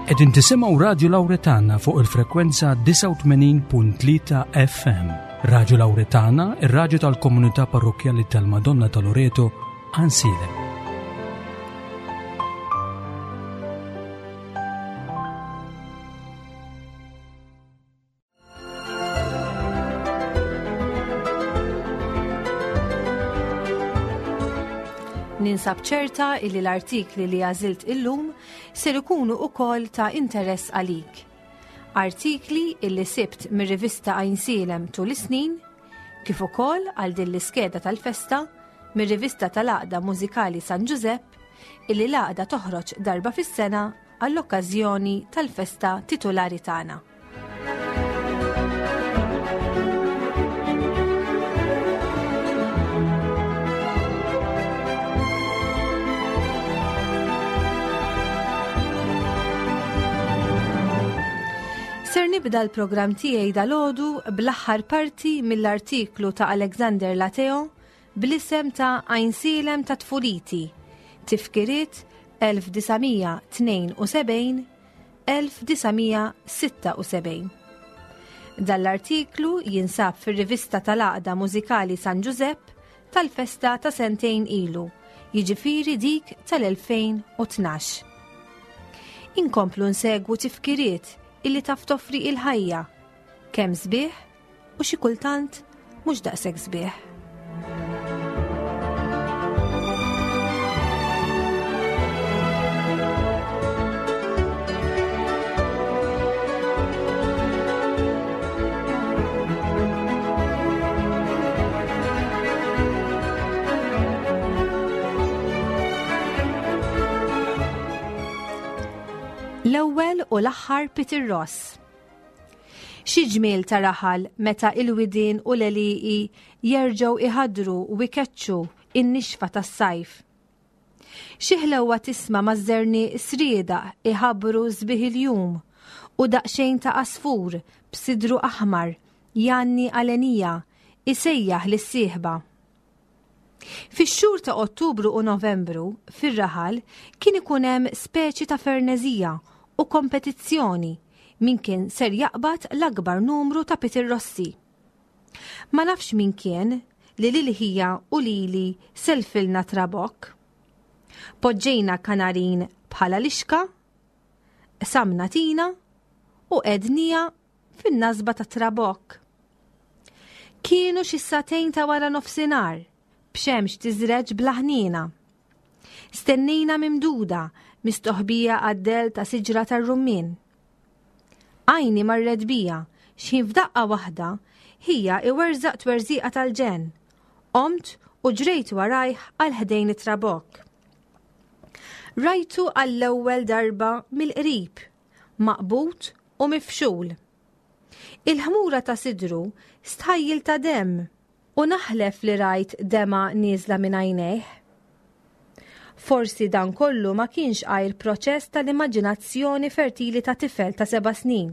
Qegħdin tisimgħu Radju Lawretana fuq il-frekwenza 89.3 FM. Radju Lawretana, ir-radju tal-komunità parrokkjali tal-Madonna ta' Loreto, Ansilem. Ninsab ċerta illi l-artikli li għażilt illum ser ikunu ukoll ta' interess għalik. Artikli illi sibt mir-rivista Għajnsielem tul is-snin, kif ukoll għal din l-iskeda tal-festa mir-rivista tal-Għaqda Mużikali San Ġużepp illi l-għaqda toħroġ darba fis-sena għall-okkażjoni tal-festa titulari tagħna. Ser nibda l-programm tiegħi dalodu bl-aħħar parti mill-artiklu ta' Alexander Lateo bl-isem ta' Għajnsielem ta' Tfuliti, Tifkiriet 1972-1976. Dan l-artiklu jinsab fir-rivista tal-Għaqda Mużikali San Ġużepp tal-festa ta' sentejn ilu, jiġifieri dik tal-2012. Inkomplu nsegwu tifkiriet illi taf toffri il-ħajja, kemm sbieħ u xi kultant mhux daqshekk sbieħ. L-ewwel u l-aħħar Peter Ross. Xi ġmiel ta' raħal meta il-widien u l-għelieqi jerġgħu iħaddru u ikeċċu in-nixfa tas-sajf. Xi ħlewwa tisma' maż-żerniq sriedaq iħabbru sbieħ il-jum u daqsxejn ta' għasfur b'sidru aħmar jgħanni għalenija isejjaħ lis-sieħba. Fix-xhur ta' Ottubru u Novembru, fir-raħal kien ikun hemm speċi ta' ferneżija u kompetizzjoni min kien ser jaqbad l-akbar numru ta' pitirrossi. Ma nafx min kien li lil ħija u lili selfilna trabokk. Poġġejna kanarin bħala lixka, qsamna tina u qegħdniha fin-nasba tat-trabokk. Kienu xi sagħtejn ta' wara nofsinhar, b'xemx tiżreġ bla ħniena. Stennejna mimduda, mistoħbija għad-dell ta' siġra tar-rummien. Għajni marret bija, x'ħin f'daqqa waħda, ħija iwerżaq twerżiqa tal-ġenn. Qomt u ġrejt warajh għal ħdejn it-trabokk. Rajtu għall-ewwel darba mill-qrib, maqbud u mifxul. Il-ħmura ta' sidru stħajjil ta' demm u naħlef li rajt demgħa nieżla minn għajnejh. Forsi dan kollu ma kienx għajr proċess tal-immaġinazzjoni fertili ta' tifel ta' seba' snin.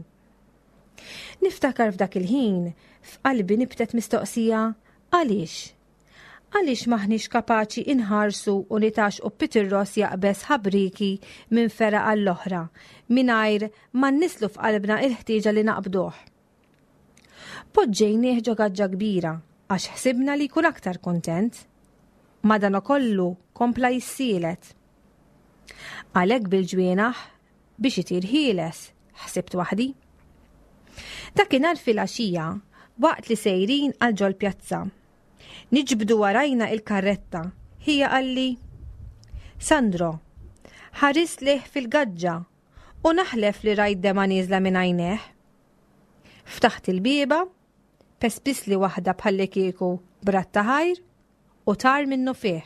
Niftakar f'dak il-ħin, f'qalbi nibtet mistoqsija għaliex? Għaliex m'aħniex kapaċi inħarsu u nitgħaxqu b'Peter Ross jaqbeż ħabrieki minn fergħa għall-oħra, mingħajr ma nnisslu f'qalbna il-ħtieġa li naqbduh? Poġġejnieh ġo gaġġa kbira għax ħsibna li jkun aktar kuntent. Madanakollu kompla jissielet. Għalhekk bil-ġwienaħ biex itir ħieles, ħsibt waħdi. Dakinhar filgħaxija, waqt li sejrin għal ġol-pjazza, Niġbdu warajna il-karretta, ħija qalli, Sandro, ħarist lejh fil-gaġġa u naħlef li rajt dema nieżla minn għajnejh. Ftaħt il-bieba, pespisli waħda bħallikieku bratta ħajr u tar minnu fih.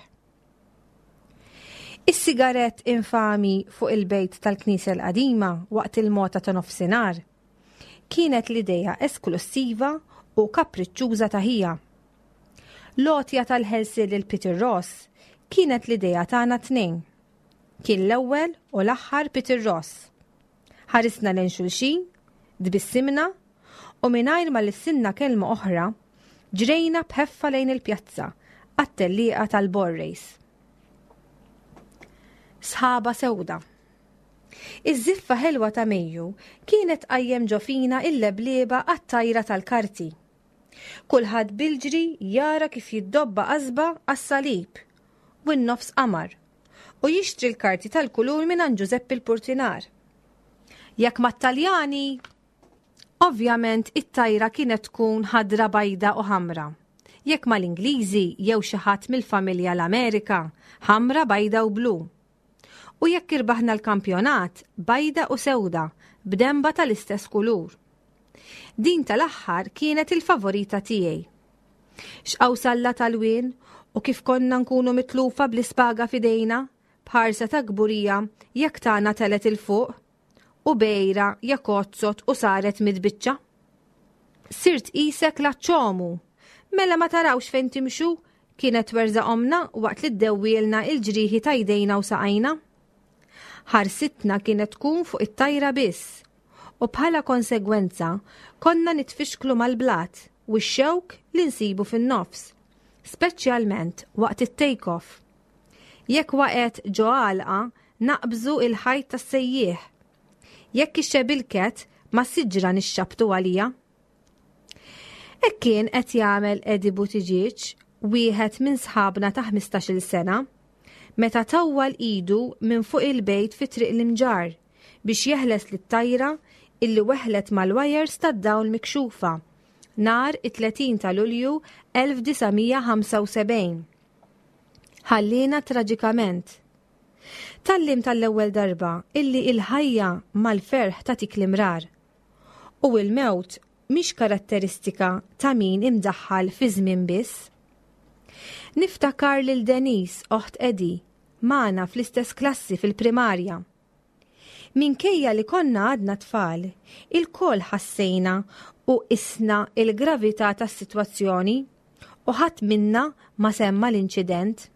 Is-sigarett infami fuq il-bejt tal-knisja l-qadima waqt il-mota ta' nofsinhar kienet l-idea esklussiva u kapriċċuża ta' ħija. L-għotja tal-ħelsien lil Peter Ross kienet l-idea tagħna t-tnejn. Kien l-ewwel u l-aħħar Peter Ross. Ħarisna lejn xulxin, tbissimna u mingħajr ma lissinna kelma oħra, ġrejna b'ħeffa lejn il-pjazza għat-tellieqa tal-Ball Race. Sħaba sewda. Iż-żiffa ħelwa ta' Mejju kienet tqajjem ġo fina il-leblieba għat-tajra tal-karti. Kulħadd bil-ġri jara kif jiddobba qasba għas-salib u n-nofs qamar u jixtri l-karti tal-kulur mingħand Ġużeppi l-Purtinar. Jekk mat-Taljani, ovvjament it-tajra kienet tkun ħadra bajda u ħamra. Jekk mal-Ingliżi jew xi ħadd mill-familja l-Amerika, ħamra bajda u blu. U jekk irbaħna l-kampjonat, bajda u sewda, b'denba tal-istess kulur. Din tal-aħħar kienet il-favorita tiegħi. X'qawsalla tal-wien u kif konna nkunu mitlufa bl-ispaga f'idejna, b'ħarsa ta' kburija jekk tagħna telet 'il fuq, u bejra jekk għodsot u saret mitbiċċa. Sirt qisek laċċomu! Mela ma tarawx fejn timxu? kienet twerżaq ommna waqt li ddewwielna il-ġrieħi ta' jdejna u saqajna. Ħarsitna kienet tkun fuq it-tajra biss u bħala konsegwenza konna nitfixklu mal-blat u x-xewk li nsibu fin-nofs, speċjalment waqt it-take off. Jekk waqgħet ġo għalqa, naqbżu il-ħajt tas-sejjieħ. Jekk ixxebilket, ma' siġra nixxabtu għalija. Hekk kien qed jagħmel Eddie Buttigieg, wieħed minn sħabna ta' 15-il sena, meta tawwal idu minn fuq il-bejt fi Triq l-Imġarr biex jeħles lit-tajra illi weħlet mal-wajers tad-dawl mikxufa nhar it-30 ta' Lulju 1975. Ħalliena traġikament. Tgħallimt għall-ewwel darba illi il-ħajja mal-ferħ tagħtik l-imrar. U l-mewt mhix karatteristika ta' min imdaħħal fiż-żmien biss. Niftakar lil Denise, oħt Eddie, magħna fl-istess klassi fil-primarja. Minkejja li konna għadna tfal, ilkoll ħassejna u qisna l-gravità tas-sitwazzjoni u ħadd minna ma semma l-inċident.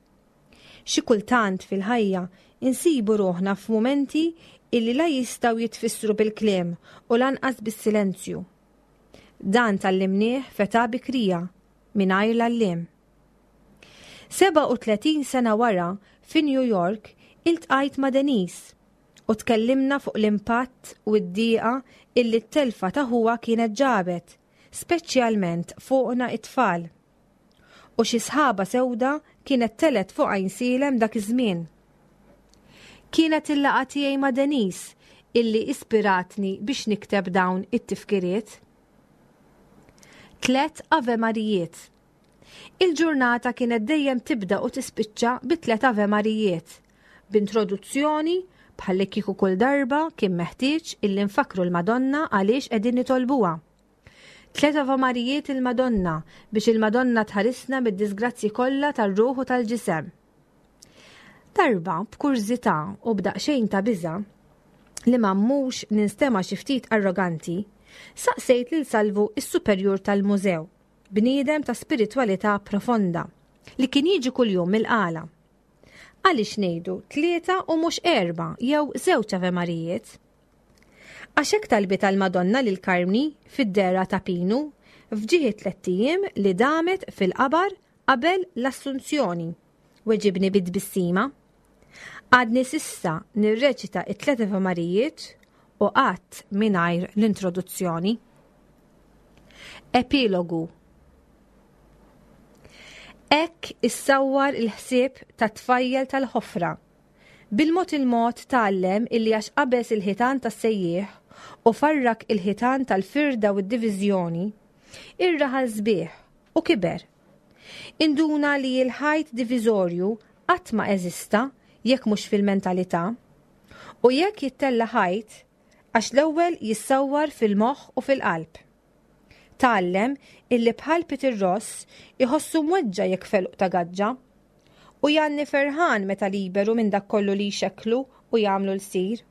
Xi kultant fil-ħajja insibu ruħna f'mumenti illi la jistgħu jitfissru bil-kliem u lanqas bis-silenzju. Dan tgħallimnieh f'età bikrija, mingħajr l-għalliem. 37 sena wara, fi New York, iltqajt ma' Denise u tkellimna fuq l-impatt u d-dieqa illi t-telfa ta' ħuha kienet ġabet, speċjalment fuqna it-tfal. U xi sħaba sewda kienet telgħet fuq Għajnsielem dak iż-żmien. Kienet il-laqgħa tiegħi ma' Denise illi ispiratni biex nikteb dawn it-tifkiriet. Tlet Ave Marijiet. Il-ġurnata kienet dejjem tibda u tispiċċa bi tlet Ave Marijiet, b'introduzzjoni bħalli kieku kull darba kien meħtieġ illi nfakkru l-Madonna għaliex qegħdin nitolbuha. Tlet Ave Marijiet il-Madonna biex il-Madonna tħarisna mid-disgrazzji kollha tar-ruħ u tal-ġisem. Darba, b'kurżità u b'daqsxejn ta' biża' li ma mmux ninstema' xi ftit arroganti, saqsejt lil Salvu s-superjur tal-mużew, bniedem ta' spiritwalità profonda, li kien jiġi kuljum mill-Qala. Għaliex ngħidu tlieta u mhux erba' jew żewġ Ave Marijiet? Għax hekk talbitha l-Madonna lil Karmni fid-dehra ta' Pinu f'ġieħ it-tlett ijiem li damet fil-qabar qabel l-Assunzjoni, weġibni bi tbissima. Għadni s'issa nirreċita t-tliet Ave Marijiet u qatt mingħajr l-introduzzjoni. Epilogu Hekk issawwar il-ħsieb tat-tfajjel tal-ħofra. Bil-mod il-mod tgħallem illi għax qabeż il-ħitan tas-sejjieħ u farrak il-ħitan tal-firda u d-diviżjoni, ir-raħal sbieħ u kiber. Induna li l-ħajt diviżorju qatt ma eżista jekk mhux fil-mentalità. U jekk jittella' ħajt, għax l-ewwel jissawwar fil-moħħ u fil-qalb. Tgħallem illi bħal Peter Ross iħossu mweġġa' jekk felq ta' gaġġa. U jgħanni ferħan meta liberu minn dak kollu li jxekklu u jagħmlu lsir.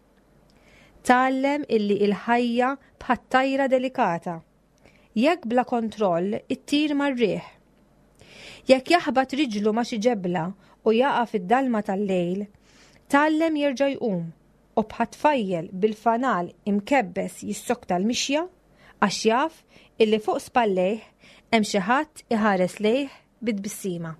Tgħallem illi il-ħajja bħat-tajra delikata. Jekk bla kontroll ittir mar-riħ. Jekk jaħbat riġlu ma' xi ġebla u jaqa' fid-dalma tal-lejl, tgħallem jerġa' jqum u bħat-tfajjel bil-fanal imkebbes jissokta l-mixja għax jaf illi fuq spallejh hemm xi ħadd iħares lejh bi tbissima.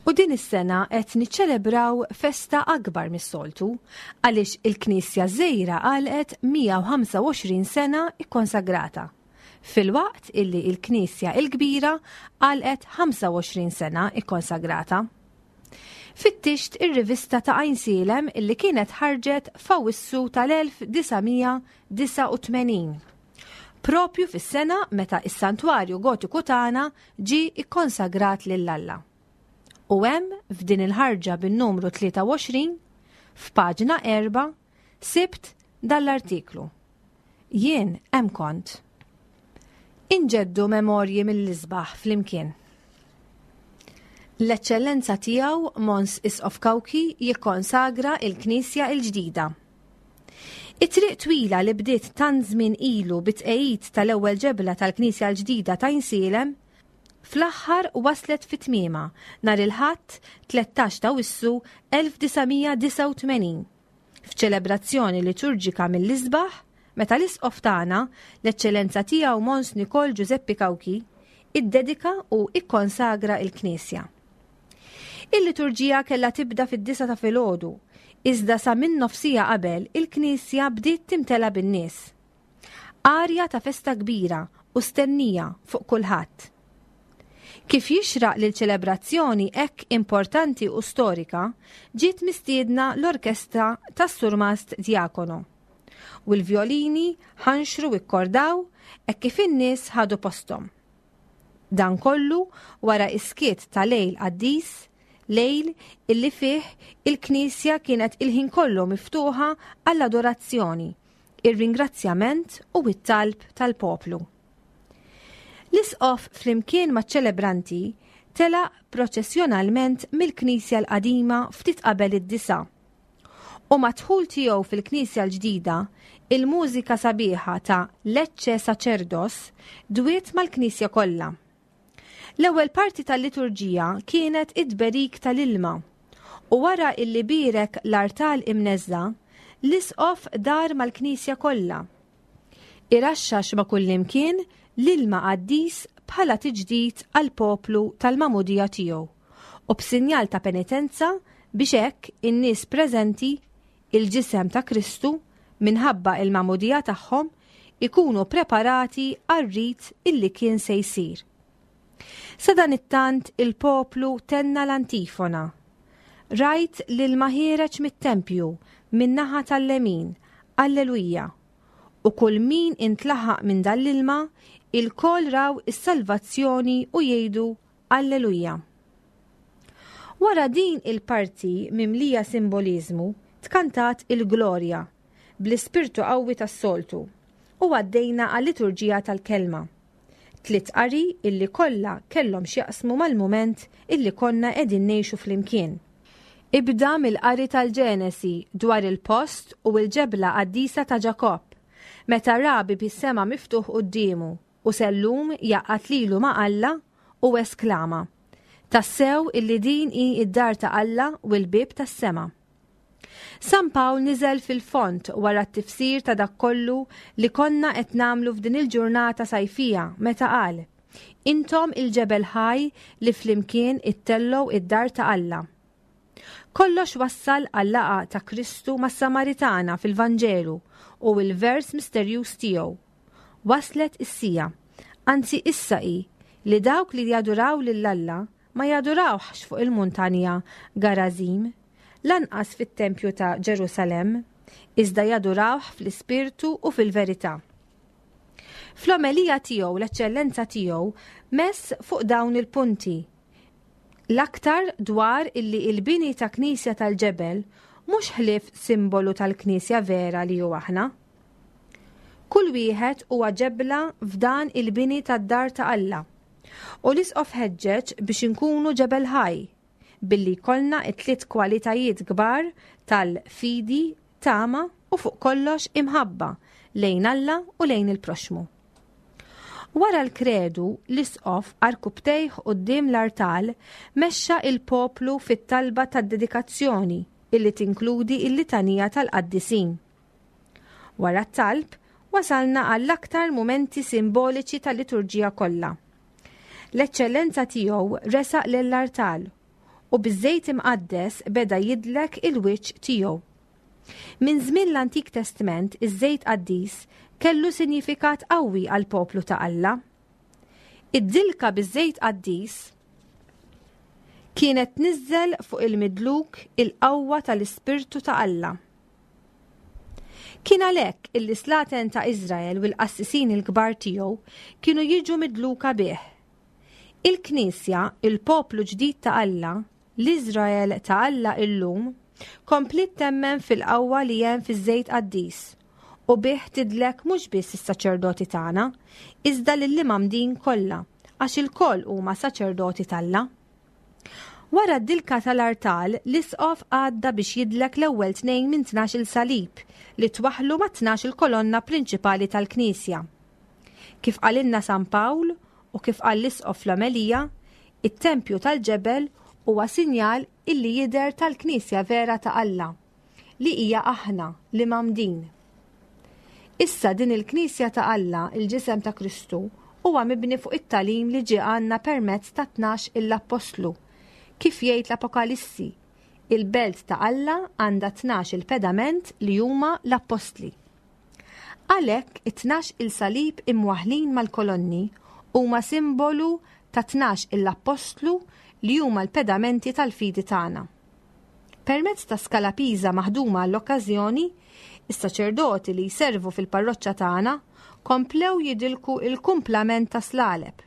U din is-sena qed niċċelebraw festa akbar mis-soltu għaliex il-Knisja żgħira għalqet 125 sena ikkonsagrata, filwaqt illi l-Knisja l-kbira għalqet 25 sena ikkonsagrata. Fittixt ir-rivista ta' Għajnsielem illi kienet ħarġet f'Awwissu tal-1989. Propju fis-sena meta is-Santwarju Gotiku tagħna ġie ikkonsagrat lil Alla. U hemm f'din il-ħarġa bin-numru 23, f'paġna 4, sibt dan l-artiklu. Jien hemm kont. Inġeddu memorji mill-isbaħ flimkien. L-Eċċellenza Tiegħu Mons Isqof Cauchi jikkonsagra il-Knisja il-ġdida. It-triq twila li bdiet tant żmien ilu bit-tqegħid tal-ewwel ġebla tal-Knisja l-ġdida ta' Għajnsielem, fl-aħħar waslet fi tmiemha nhar il-Ħadd 13 t'Awwissu 1989. F'ċelebrazzjoni liturġika mill-isbaħ, meta l-Isqof tagħna, l-Eċċellenza Tiegħu Mons Nikol Ġużeppi Cauchi, iddedika u ikkonsagra l-knisja. Il-liturġija kellha tibda fid-disgħa ta' filgħodu, iżda sa minn nofsija qabel il-knisja bdiet timtela bin-nies. Arja ta' festa kbira u stennija fuq kulħadd. Kif jixraq lil ċelebrazzjoni hekk importanti u storika, ġiet mistiedna l-orkestra tas-Surmast Diacono. U l-vjolini ħanxru u kkordaw hekk kif in-nies ħadu posthom. Dan kollu wara is-skiet ta' lejl qaddis, lejl illi fih il-knisja kienet il-ħin kollu miftuħa għall-adorazzjoni, ir-ringrazzjament u t-talb tal-poplu. L-Isqof flimkien maċ-ċelebranti telaq proċessjonalment mill-knisja l-qadima ftit qabel id-disgħa. U mad-dħul tiegħu fil-knisja l-ġdida, il-mużika sabiħa ta' Lecce Sacerdos dwiet mal-knisja kollha. L-ewwel parti tal-liturġija kienet it-tberik tal-ilma u wara illi bierek l-artal imneżża', l-Isqof dar mal-knisja kollha. Iraxxax ma' kullimkien l-ilma qaddis bħala tiġdid għall-poplu tal-magħmudija tiegħu u b'sinjal ta' penitenza biex hekk in-nies preżenti, il-ġisem ta' Kristu, minħabba il-magħmudija tagħhom, ikunu preparati għar-rit illi kien se jsir. Sadanittant il-poplu tenna l-antifona. Rajt l-ilma ħiereġ mit-tempju min-naħa tal-lemin, Alleluja! U kull min intlaħaq minn dan l-ilma, ilkoll raw is-salvazzjoni u jgħidu Alleluja! Wara din il-parti mimlija simboliżmu, tkantat il-Glorja, bl-ispirtu qawwi tas-soltu, u għaddejna għal-liturġija tal-Kelma. Tliet qari illi kollha kellhom x'jaqsmu mal-mument illi konna qegħdin ngħixu flimkien. Ibda mill-qari tal-Ġenesi dwar il-post u l-ġebla qaddisa ta' Ġakobb, meta ra bieb is-sema miftuħ quddiemu u sellum jgħaqqad lilu ma' Alla u esklama, Tassew illi din hi d-dar ta' Alla u l-bieb tas-sema. San Pawl niżel fil-fond wara t-tifsir ta' dak kollu li konna qed nagħmlu f'din il-ġurnata sajfija meta qal, Intom il-ġebel ħaj li flimkien ittellgħu id-dar ta' Alla. Kollox wassal għal-laqgħa ta' Kristu mas-Samaritana fil-Vanġelu u l-vers misterjuż tiegħu, Waslet is-siegħa, anzi issa hi, li dawk li jaduraw lil Alla ma jadurawhx fuq il-muntanja Garazim, lanqas fit-tempju ta' Ġerusalemm, iżda jadurawh fl-ispirtu u fil-verità. Fl-omelija tiegħu l-Eċċellenza tiegħu mess fuq dawn il-punti, l-aktar dwar illi il-bini ta' knisja tal-ġebel mhux ħlief simbolu tal-knisja vera li hu aħna. Kull wieħed huwa ġebla f'dan il-bini tad-dar ta' Alla. U l-Isqof ħeġġeġ biex inkunu ġebel ħaj, billi jkollna t-tliet kwalitajiet kbar tal-fidi, tama u fuq kollox imħabba lejn Alla u lejn il-proxxmu. Wara l-kredu, l-Isqof għarkupptejh quddiem l-artal mexxa il-poplu fit-talba tad-dedikazzjoni illi tinkludi l-litanija tal-qaddisin. Wara t-talb, wasalna għall-aktar mumenti simboliċi tal-liturġija kollha. L-Eċċellenza Tiegħu resaq lill-artal U biż-żejt imqaddes beda jidlek il-wiċċ tiegħu. Minn żmien l-Antik Testment iż-żejt qaddis kellu sinjifikat qawwi għall-poplu ta' Alla. Id-dilka biż-żejt qaddis kienet tniżżel fuq il-midluk il-qawwa tal-Ispirtu ta' Alla. Kien għalhekk illi slaten ta' Iżrael u l-qassisin il-kbar tiegħu kienu jiġu midluka bih. Il-Knisja, il-poplu ġdid ta' Alla, l-Iżrael ta' Alla illum, kompliet temmen fil-qawwa li hemm fiż-żejt qaddis u bih tidlek mhux biss is-saċerdoti tagħna, iżda lill-imgħammdin kollha, għax ilkoll huma saċerdoti t'Alla. Wara d-dilka tal-artal, l-isqof għadda biex jidlek l-ewwel tnejn minn 12-il salib li twaħħlu mat-12-il kolonna prinċipali tal-knisja. Kif qalilna San Pawl u kif qal l-isqof fl-omelija, it-tempju tal-ġebel huwa sinjal illi jidher tal-knisja vera ta' Alla, li hija aħna, l-imgħammdin. Issa din il-Knisja ta' Alla, il-ġisem ta' Kristu, huwa mibni fuq it-tagħlim li ġie għandna permezz ta' 12 il-appostlu. Kif jgħid l-Apokalissi, il-belt ta' Alla għandha 12 il-pedament li huma l-appostli. Għalhekk it-tnax il-salib imwaħħlin mal-kolonni huma simbolu ta' 12 il-appostlu li huma l-pedamenti tal-fidi tagħna. Permezz ta' skala piża maħduma għall-okkażjoni, is-saċerdoti li jservu fil-parroċċa tagħna komplew jidilku il-kumplament ta' slaleb,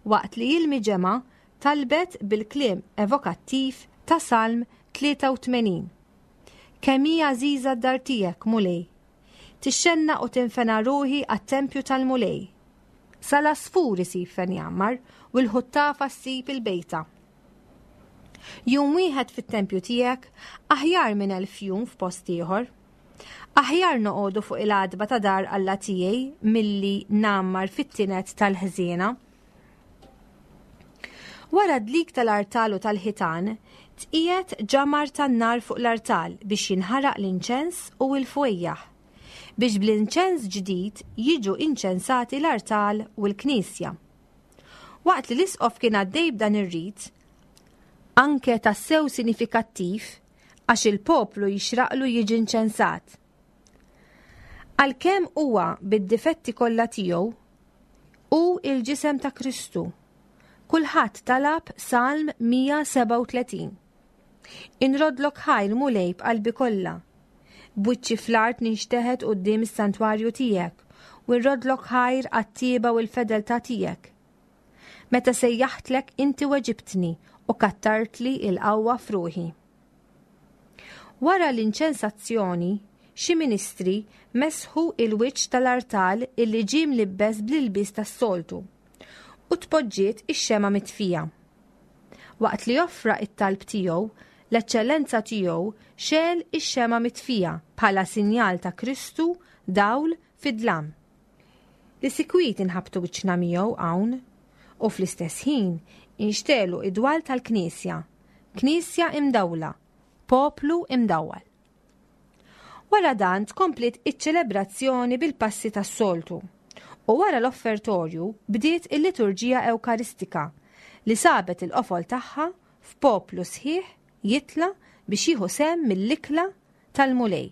waqt li il-miġemgħa talbet bil-kliem evokattiv ta' Salm 83. Kemm hi għażiża d-dar tiegħek, Mulej! Tixxennaq u tinfena ruħi għat-tempju tal-Mulej. Sal-għasfur isib fejn jgħammar u l-ħuttafa ssib il-bejta. Jum wieħed fit-tempju tiegħek aħjar minn elf jum f'post ieħor. Aħjar noqogħdu fuq il-għatba ta' dar Alla tiegħi milli ngħammar fit-tinet tal-ħżiena. Wara d-dlik tal-artal u tal-ħitan, tqiegħed ġamar tan-nar fuq l-artal biex jinħaraq l-inċens u l-fwejjaħ, biex bl-inċens ġdid jiġu inċensati l-artal u l-knisja. Waqt li l-Isqof kien għaddej b'dan ir-rit, anke tassew sinifikattiv għax il-poplu jixraqlu jiġi nċensat. Għalkemm huwa bid-difetti kollha tiegħu, hu il-ġisem ta' Kristu. Kulħadd talab Salm 137. Inrodlok ħajr Mulej b'qalbi kollha. B'wiċċi fl-art ninxteħet quddiem is-santwarju tiegħek u nroddlok ħajr għat-tjieba u l-fedeltà tiegħek. Meta sejjaħtlek inti weġibtni u kattartli l-qawwa f'ruħi. Wara l-inċensazzjoni, xi ministri mesħu il-wiċċ tal-artal illi ġie mlibbes bl-ilbies tas-soltu u tpoġġiet ix-xemgħa mitfija. Waqt li offra it-talb tiegħu, l-Eċċellenza Tiegħu xegħel ix-xemgħa mitfija bħala sinjal ta' Kristu dawl fid-dlam. Li sikwit inħabbtu wiċċna miegħu hawn, u fl-istess ħin inxtegħlu id-dwal tal-Knisja, Knisja imdawla, poplu imdawwal. Wara dan tkompliet iċ-ċelebrazzjoni bil-passi tas-soltu u wara l-offertorju bdiet il-liturġija Ewkaristika li sabet il-qofol tagħha f'poplu sħiħ jitla' biex jieħu sehem mill-ikla tal-Mulej,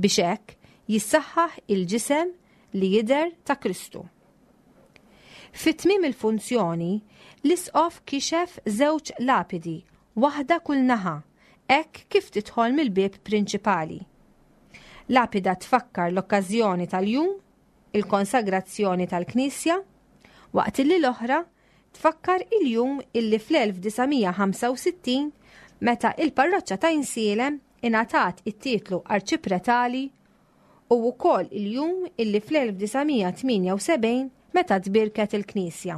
biex hekk jissaħħaħ il-ġisem li jidher ta' Kristu. Fi tmiem il-funzjoni, l-Isqof kixef żewġ lapidi, waħda kull naħa, hekk kif tidħol mill-bieb prinċipali. Lapida tfakkar l-okkażjoni tal-jum, il-konsagrazzjoni tal-Knisja, waqt illi l-oħra tfakkar il-jum illi fl-1965 meta il-parroċċa ta' Għajnsielem ingħatat it-titlu arċipretali u wkoll il-jum illi fl-1978 meta tbierket il-Knisja.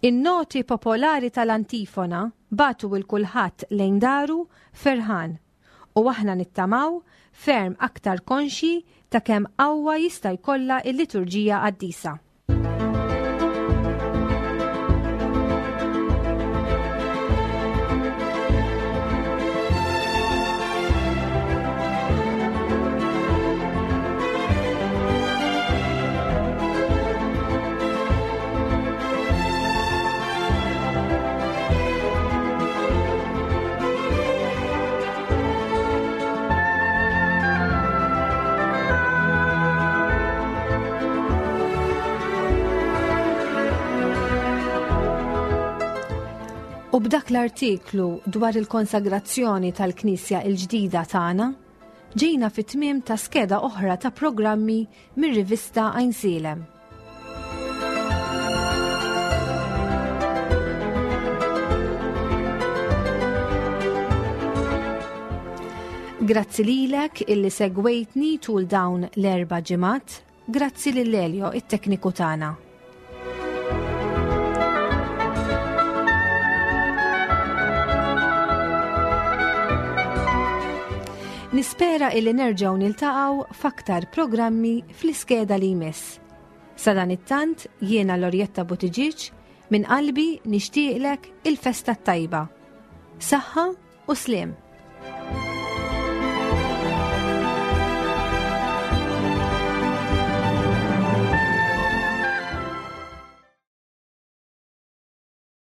In-noti popolari tal-antifona bagħtu 'l kulħadd lejn daru ferħan u aħna nittamaw ferm aktar konxji ta' kemm qawwa jista' jkollha l-liturġija qaddisa. U b'dak l-artiklu dwar il-konsagrazzjoni tal-Knisja il-ġdida tagħna, ġejna fit-tmiem ta' skeda oħra ta' programmi mir-rivista Għajnsielem. Grazzi lilek illi segwejtni tul dawn l-erba' ġimgħat, grazzi lil Elio it-tekniku tagħna. Nispera illi nerġgħu niltaqgħu f'aktar programmi fl-iskeda li jmiss. Sadanittant jiena Lorjetta Buttigieg minn qalbi nixtieqlek il-festa t-tajba. Saħħa u sliem!